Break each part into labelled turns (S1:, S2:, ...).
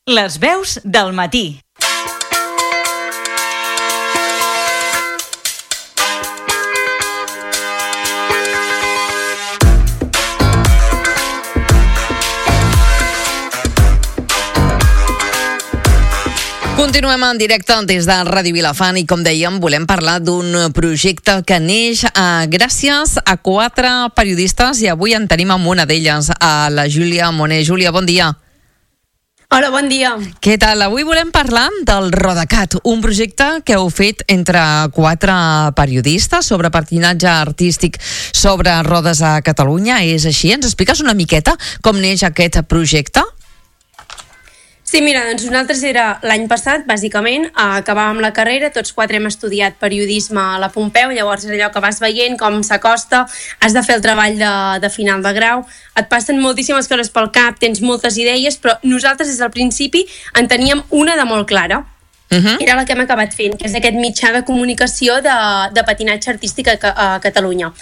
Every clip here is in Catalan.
S1: Les veus del matí.
S2: Continuem en directe des de Ràdio Vilafant i, com dèiem, volem parlar d'un projecte que neix gràcies a 4 periodistes i avui en tenim amb una d'elles, a la Júlia Moner. Júlia, bon dia.
S3: Hola, bon dia.
S2: Què tal? Avui volem parlar del Rodacat, un projecte que heu fet entre 4 periodistes sobre patinatge artístic sobre rodes a Catalunya. És així? Ens expliques una miqueta com neix aquest projecte?
S3: Sí, mira, doncs nosaltres era l'any passat, bàsicament, acabàvem la carrera, tots 4 hem estudiat periodisme a la Pompeu, llavors és allò que vas veient com s'acosta, has de fer el treball de final de grau, et passen moltíssimes coses pel cap, tens moltes idees, però nosaltres des del principi en teníem una de molt clara. Era la que hem acabat fent, que és aquest mitjà de comunicació de patinatge artístic a Catalunya.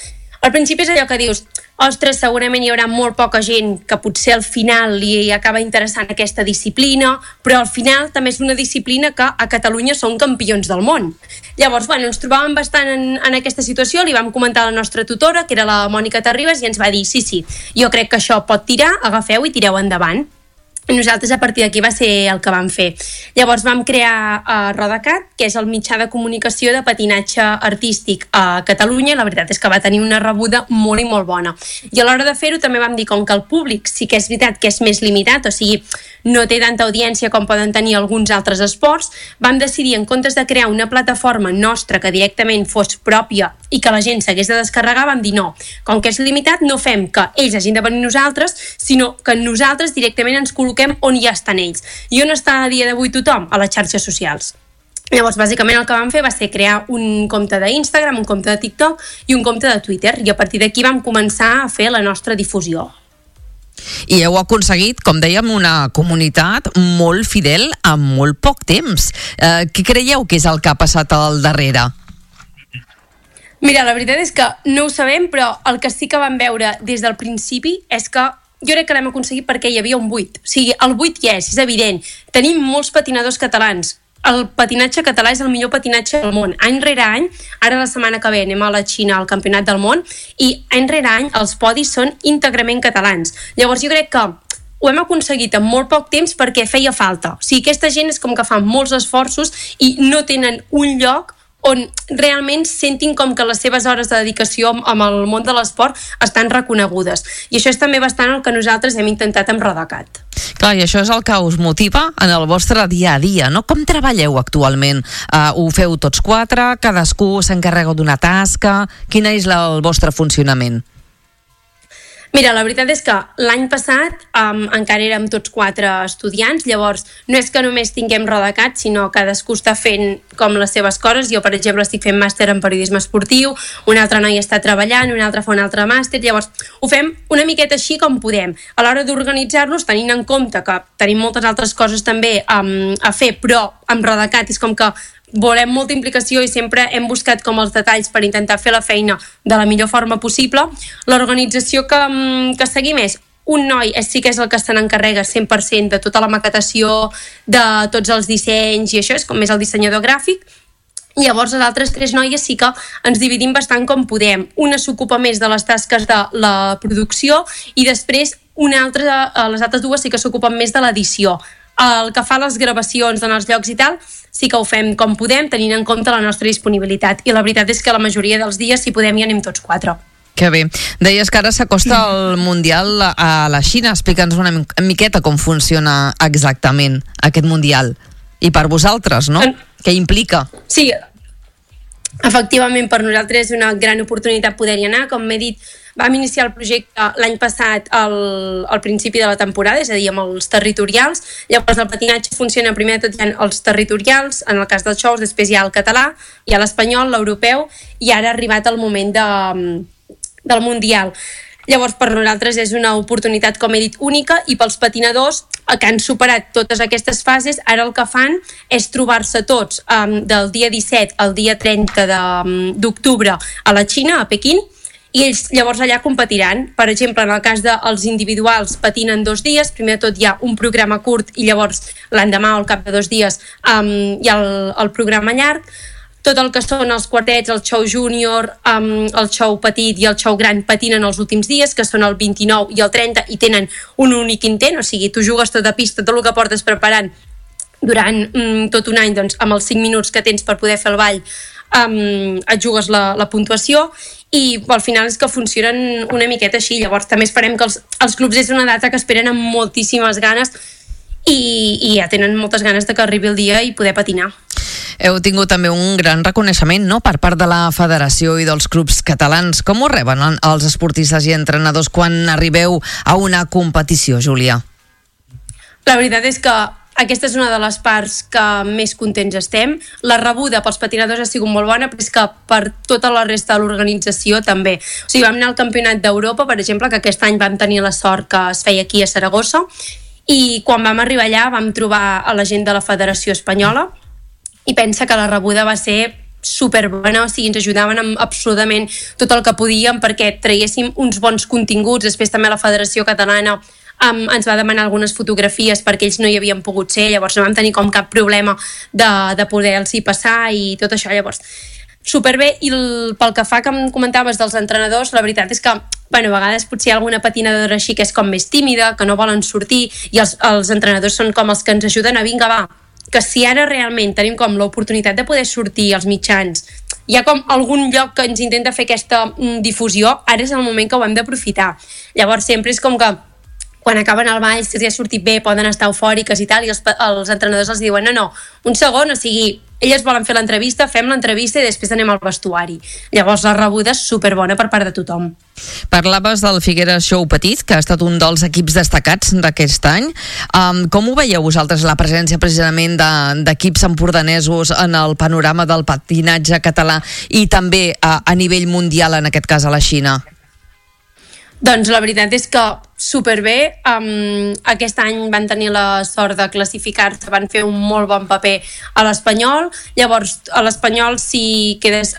S3: Al principi és allò que dius, ostres, segurament hi haurà molt poca gent que potser al final li acaba interessant aquesta disciplina, però al final també és una disciplina que a Catalunya són campions del món. Llavors, ens trobàvem bastant en aquesta situació, li vam comentar a la nostra tutora, que era la Mònica Terribas, i ens va dir, sí, jo crec que això pot tirar, agafeu i tireu endavant. I nosaltres a partir d'aquí va ser el que vam fer. Llavors vam crear Rodacat, que és el mitjà de comunicació de patinatge artístic a Catalunya, i la veritat és que va tenir una rebuda molt i molt bona. I a l'hora de fer-ho també vam dir, com que el públic sí que és veritat que és més limitat, o sigui, no té tanta audiència com poden tenir alguns altres esports, vam decidir, en comptes de crear una plataforma nostra que directament fos pròpia i que la gent s'hagués de descarregar, vam dir no, com que és limitat no fem que ells hagin de venir nosaltres, sinó que nosaltres directament ens col·loquem on ja estan ells. I on està a dia d'avui tothom? A les xarxes socials. Llavors, bàsicament el que vam fer va ser crear un compte d'Instagram, un compte de TikTok i un compte de Twitter, i a partir d'aquí vam començar a fer la nostra difusió.
S2: I heu aconseguit, com dèiem, una comunitat molt fidel en molt poc temps. Què creieu que és el que ha passat al darrere?
S3: Mira, la veritat és que no ho sabem, però el que sí que vam veure des del principi és que jo crec que l'hem aconseguit perquè hi havia un buit. O sigui, el buit hi és evident. Tenim molts patinadors catalans. El patinatge català és el millor patinatge del món. Any rere any, ara la setmana que ve anem a la Xina al Campionat del Món, i any rere any els podis són íntegrament catalans. Llavors jo crec que ho hem aconseguit en molt poc temps perquè feia falta. O sigui, aquesta gent és com que fan molts esforços i no tenen un lloc on realment sentin com que les seves hores de dedicació amb el món de l'esport estan reconegudes. I això és també bastant el que nosaltres hem intentat amb Rodacat.
S2: Clar, i això és el que us motiva en el vostre dia a dia, no? Com treballeu actualment? Ho feu tots 4? Cadascú s'encarrega d'una tasca? Quin és el vostre funcionament?
S3: Mira, la veritat és que l'any passat encara érem tots 4 estudiants, llavors no és que només tinguem Rodacat, sinó cadascú està fent com les seves coses. Jo, per exemple, estic fent màster en periodisme esportiu, una altra noia està treballant, una altra fa un altre màster, llavors ho fem una miqueta així com podem. A l'hora d'organitzar-nos, tenint en compte que tenim moltes altres coses també a fer, però amb Rodacat és com que volem molta implicació i sempre hem buscat com els detalls per intentar fer la feina de la millor forma possible. L'organització que seguim és un noi, sí que és el que se n'encarrega 100% de tota la maquetació, de tots els dissenys i això, és com més el dissenyador gràfic. Llavors les altres 3 noies sí que ens dividim bastant com podem. Una s'ocupa més de les tasques de la producció i després les altres 2 sí que s'ocupen més de l'edició. El que fa les gravacions en els llocs i tal, sí que ho fem com podem, tenint en compte la nostra disponibilitat. I la veritat és que la majoria dels dies, si podem, hi anem tots 4.
S2: Que bé. Deies que ara s'acosta el Mundial a la Xina. Explica'ns una miqueta com funciona exactament aquest Mundial. I per vosaltres, no? Què implica?
S3: Sí, efectivament, per nosaltres és una gran oportunitat poder-hi anar. Com m'he dit, vam iniciar el projecte l'any passat al principi de la temporada, és a dir, amb els territorials. Llavors el patinatge funciona primer de tot hi ha els territorials, en el cas dels shows, després hi ha el català, hi ha l'espanyol, l'europeu, i ara ha arribat el moment del Mundial. Llavors per nosaltres és una oportunitat, com he dit, única, i pels patinadors que han superat totes aquestes fases, ara el que fan és trobar-se tots del dia 17 al dia 30 d'octubre a la Xina, a Pequín, i ells llavors allà competiran. Per exemple, en el cas dels individuals patinen 2 dies, primer de tot hi ha un programa curt i llavors l'endemà o al cap de 2 dies hi ha el programa llarg. Tot el que són els quartets, el xou júnior, el xou petit i el xou gran patinen els últims dies, que són el 29 i el 30, i tenen un únic intent, o sigui, tu jugues tota pista, tot el que portes preparant durant tot un any, doncs, amb els 5 minuts que tens per poder fer el ball, et jugues la puntuació, i al final és que funcionen una miqueta així. Llavors també esperem que els clubs és una data que esperen amb moltíssimes ganes i ja tenen moltes ganes de que arribi el dia i poder patinar.
S2: Heu tingut també un gran reconeixement, no?, per part de la Federació i dels clubs catalans. Com ho reben els esportistes i entrenadors quan arribeu a una competició, Júlia?
S3: La veritat és que aquesta és una de les parts que més contents estem. La rebuda pels patinadors ha sigut molt bona, però és que per tota la resta de l'organització també. O sigui, vam anar al Campionat d'Europa, per exemple, que aquest any vam tenir la sort que es feia aquí a Saragossa, i quan vam arribar allà vam trobar a la gent de la Federació Espanyola, i pensa que la rebuda va ser superbona, o sigui, ens ajudaven amb absolutament tot el que podíem perquè traguéssim uns bons continguts. Després també la Federació Catalana ens va demanar algunes fotografies perquè ells no hi havien pogut ser, llavors no vam tenir com cap problema de poder-los passar i tot això. Llavors, superbé. I pel que fa que em comentaves dels entrenadors, la veritat és que a vegades potser hi ha alguna patinadora així que és com més tímida, que no volen sortir, i els entrenadors són com els que ens ajuden a vinga, va, que si ara realment tenim com l'oportunitat de poder sortir als mitjans, hi ha com algun lloc que ens intenta fer aquesta difusió, ara és el moment que ho hem d'aprofitar. Llavors sempre és com que quan acaben el ball, si els ha sortit bé, poden estar eufòriques i tal, i els entrenadors els diuen no, un segon, o sigui, elles volen fer l'entrevista, fem l'entrevista i després anem al vestuari. Llavors la rebuda és superbona per part de tothom.
S2: Parlaves del Figueres Xou Petit, que ha estat un dels equips destacats d'aquest any. Com ho veieu vosaltres, la presència precisament d'equips empordanesos en el panorama del patinatge català i també a nivell mundial, en aquest cas a la Xina?
S3: Doncs la veritat és que superbé. Aquest any van tenir la sort de classificar-se, van fer un molt bon paper a l'Espanyol. Llavors, a l'Espanyol, si quedes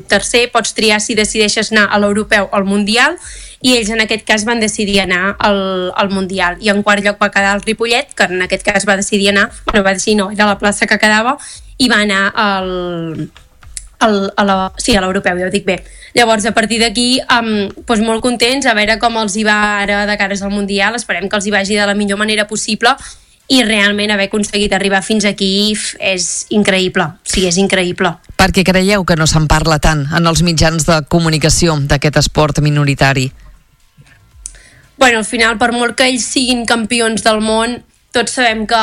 S3: tercer, pots triar si decideixes anar a l'Europeu o al Mundial, i ells en aquest cas van decidir anar al Mundial. I en quart lloc va quedar el Ripollet, que en aquest cas va decidir anar, era la plaça que quedava, i va anar a l'Europeu, ja ho dic bé. Llavors, a partir d'aquí, doncs molt contents, a veure com els hi va ara de cares al Mundial. Esperem que els hi vagi de la millor manera possible, i realment haver aconseguit arribar fins aquí és increïble. Sí, és increïble.
S2: Per què creieu que no se'n parla tant en els mitjans de comunicació d'aquest esport minoritari?
S3: Al final, per molt que ells siguin campions del món, tots sabem que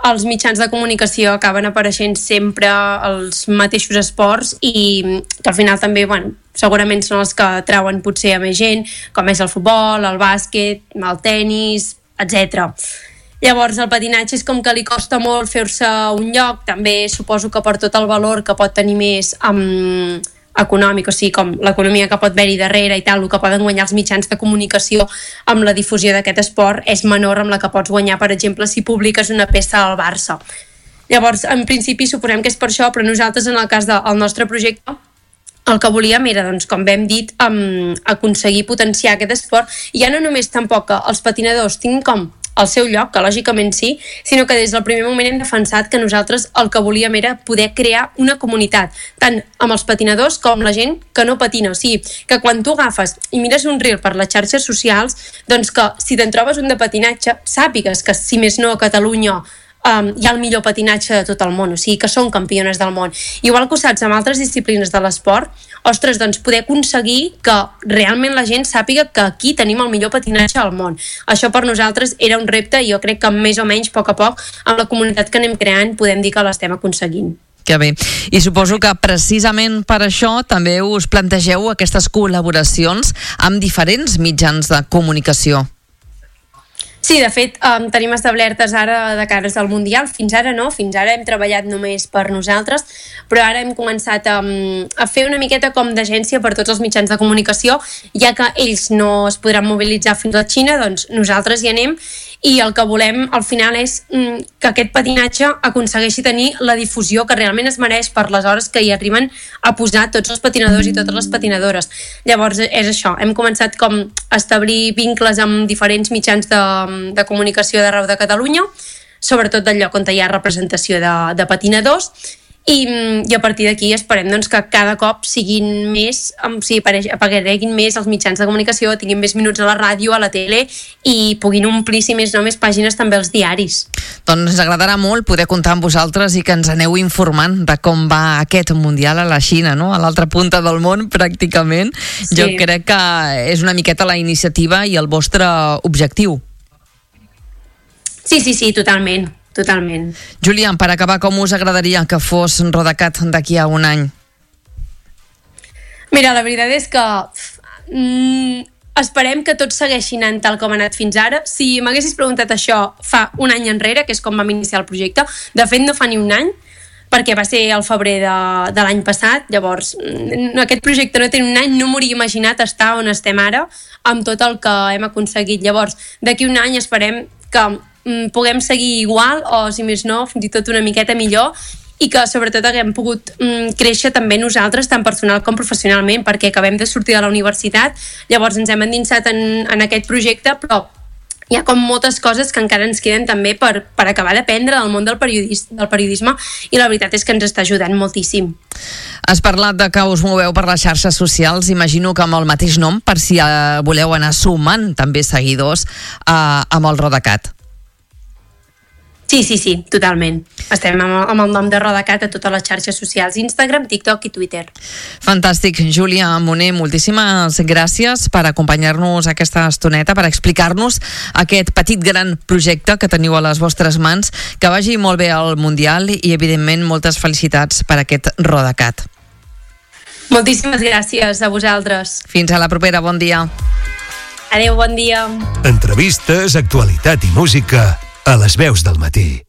S3: els mitjans de comunicació acaben apareixent sempre els mateixos esports, i que al final també, segurament són els que trauen potser a més gent, com és el futbol, el bàsquet, el tennis, etc. Llavors el patinatge és com que li costa molt fer-se un lloc, també suposo que per tot el valor que pot tenir més econòmic, o sigui, com l'economia que pot haver-hi darrere i tal, el que poden guanyar els mitjans de comunicació amb la difusió d'aquest esport és menor amb la que pots guanyar, per exemple, si publiques una peça al Barça. Llavors, en principi, suposem que és per això, però nosaltres, en el cas del nostre projecte, el que volíem era, doncs, com hem dit, aconseguir potenciar aquest esport, i ja no només tampoc que els patinadors tinguin com el seu lloc, que lògicament sí, sinó que des del primer moment hem defensat que nosaltres el que volíem era poder crear una comunitat, tant amb els patinadors com la gent que no patina. O sigui, que quan tu agafes i mires un reel per les xarxes socials, doncs que si te'n trobes un de patinatge, sàpigues que, si més no, a Catalunya hi ha el millor patinatge de tot el món, o sigui que són campiones del món. Igual que ho saps amb altres disciplines de l'esport, ostres, doncs poder aconseguir que realment la gent sàpiga que aquí tenim el millor patinatge al món. Això per nosaltres era un repte, i jo crec que més o menys, a poc, amb la comunitat que anem creant, podem dir que l'estem aconseguint.
S2: Que bé. I suposo que precisament per això també us plantegeu aquestes col·laboracions amb diferents mitjans de comunicació.
S3: Sí, de fet, tenim establertes ara de cares al Mundial. Fins ara no, fins ara hem treballat només per nosaltres, però ara hem començat a fer una miqueta com d'agència per tots els mitjans de comunicació, ja que ells no es podran mobilitzar fins a la Xina, doncs nosaltres hi anem, i el que volem al final és que aquest patinatge aconsegueixi tenir la difusió que realment es mereix per les hores que hi arriben a posar tots els patinadors i totes les patinadores. Llavors és això, hem començat com a establir vincles amb diferents mitjans de comunicació d'arreu de Catalunya, sobretot del lloc on hi ha representació de patinadors, i a partir d'aquí esperem doncs, que cada cop siguin més, apareguin més els mitjans de comunicació, tinguin més minuts a la ràdio, a la tele i puguin omplir, si més no, més pàgines també als diaris.
S2: Doncs ens agradarà molt poder comptar amb vosaltres i que ens aneu informant de com va aquest Mundial a la Xina, no? A l'altra punta del món, pràcticament. Sí. Jo crec que és una miqueta la iniciativa i el vostre objectiu.
S3: Sí, totalment.
S2: Júlia, per acabar, com us agradaria que fos Rodacat d'aquí a un any?
S3: Mira, la veritat és que esperem que tot segueixi anant tal com ha anat fins ara. Si m'haguessis preguntat això fa un any enrere, que és com vam iniciar el projecte, de fet no fa ni un any, perquè va ser al febrer de l'any passat, llavors aquest projecte no té un any, no m'hauria imaginat estar on estem ara amb tot el que hem aconseguit. Llavors, d'aquí un any esperem que puguem seguir igual o, si més no, fins i tot una miqueta millor, i que sobretot haguem pogut créixer també nosaltres, tant personal com professionalment, perquè acabem de sortir de la universitat, llavors ens hem endinsat en aquest projecte, però hi ha com moltes coses que encara ens queden també per acabar d'aprendre del món del periodisme, i la veritat és que ens està ajudant moltíssim.
S2: Has parlat de que us moveu per les xarxes socials, imagino que amb el mateix nom, per si voleu anar sumant també seguidors amb el Rodacat.
S3: Sí, totalment. Estem amb el nom de Rodacat a totes les xarxes socials, Instagram, TikTok i Twitter.
S2: Fantàstic. Júlia Moner, moltíssimes gràcies per acompanyar-nos aquesta estoneta, per explicar-nos aquest petit gran projecte que teniu a les vostres mans. Que vagi molt bé al Mundial i, evidentment, moltes felicitats per aquest Rodacat.
S3: Moltíssimes gràcies a vosaltres.
S2: Fins a la propera, bon dia.
S3: Adéu, bon dia.
S4: Entrevistes, actualitat i música a les veus del matí.